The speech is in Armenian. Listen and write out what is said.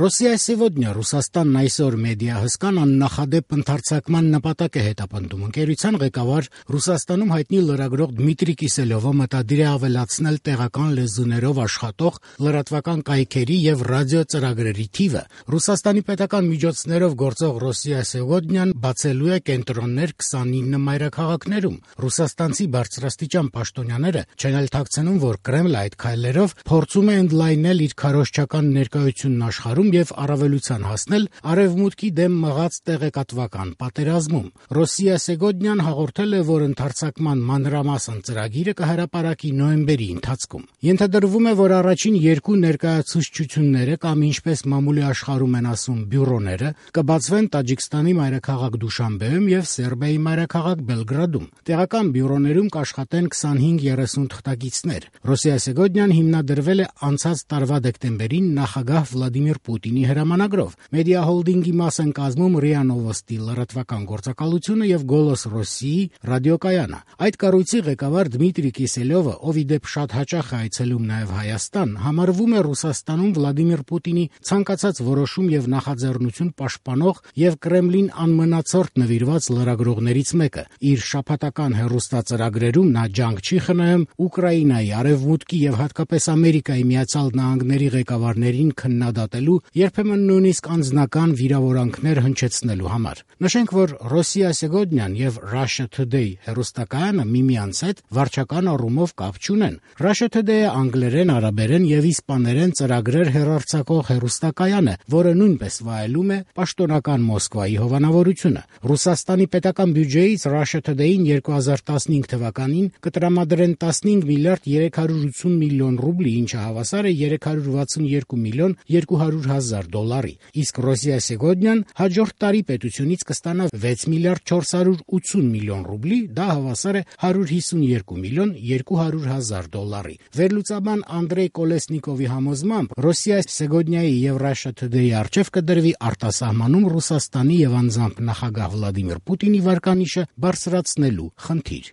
Ռոսիա Սեգոդնյա Ռուսաստանն այսօր մեդիա հսկան աննախադեպ ընդարձակման նպատակ է հետապնդում։ Ընկերության ղեկավար Ռուսաստանում հայտնի լրագրող Դմիտրի Կիսելյովը մտադիր է ավելացնել տեղական լեզուներով աշխատող լրատվական կայքերի եւ ռադիո ծրագրերի թիվը։ Ռուսաստանի պետական միջոցներով գործող Ռոսիա Սեգոդնյան բացելու է կենտրոններ 29 մայրաքաղաքներում։ Ռուսաստանցի բարձրաստիճան պաշտոնյաները չեն էլ թաքցնում, որ Կրեմլը այդ քայլերով փորձում է ընդլայնել իր քարոզչական ներկայությունն աշխարհում եւ առավելության հասնել արևմուտքի դեմ մղած տեղեկատվական պատերազմում։ Ռոսիա Սեգոդնյան հաղորդել է, որ ընդարձակման մանրամասն ծրագիրը կհրապարակի նոյեմբերի ընթացքում։ Ենթադրվում է, որ առաջին երկու ներկայացուցչությունները կամ ինչպես մամուլի աշխարհում են ասում բյուրոները կբացվեն Տաջիկստանի մայրաքաղաք Դուշանբեում եւ Սերբիայի մայրաքաղաք Բելգրադում։ Տեղական բյուրոներում կաշխատեն 25-30 թղթակիցներ։ Ռոսիա Սեգոդնյան հիմնադրվել է անցած տարվա դեկտեմբերին նախագահ Վլադիմիր Պուտինի հրամանագրով։ Մեդիա հոլդինգի մաս են կազմում ՌԻԱ Նովոստի լրատվական գործակալությունը եւ Գոլոս Ռոսիի ռադիոկայանը։ Այդ կառույցի ղեկավար Դմիտրի Կիսելյովը, ով ի դեպ շատ հաճախ է այցելում նաեւ Հայաստան, համարվում է Ռուսաստանում Վլադիմիր Պուտինի ցանկացած որոշում եւ նախաձեռնություն պաշտպանող եւ Կրեմլին անմնացորդ նվիրված լրագրողներից մեկը։ Իր շաբաթական հեռուստածրագրերում նա ջանք չի խնայում Ուկրաինայի, Արևմուտքի եւ հատկապես Ամերիկայի Միացյալ Նահանգների ղեկավարներին քննադատելու, երբեմն նույնիսկ անձնական վիրավորանքներ հնչեցնելու համար։ Նշենք, որ Ռոսիա Սեգոդնյան եւ Russia Today հեռուստակայանը միմյանց հետ վարչական առումով կապ չունեն։ Russia Today-ը անգլերեն, արաբերեն եւ իսպաներեն ծրագրեր հեռարձակող հեռուստակայան է, որը նույնպես վայելում է պաշտոնական Մոսկվայի հովանավորությունը։ Ռուսաստանի պետական բյուջեից Russia Today-ին 2015 թվականին կտրամադրեն 15 միլիարդ 380 միլիոն ռուբլի, ինչը հավասար է 362 միլիոն 200 հազար դոլարի, իսկ Ռոսիա Սեգոդնյան հաջորդ տարի պետությունից կստանա 6 միլիարդ 480 միլիոն ռուբլի, դա հավասար է 152 միլիոն 200 հազար դոլարի։ Վերլուծաբան Անդրեյ Կոլեսնիկովի համոզմամբ Ռոսիա Սեգոդնյայի եւ Russia Today-ի առջև կդրվի արտասահմանում Ռուսաստանի եւ անձամբ նախագահ Վլադիմիր Պուտինի վարկանիշը բարձրացնելու խնդիր։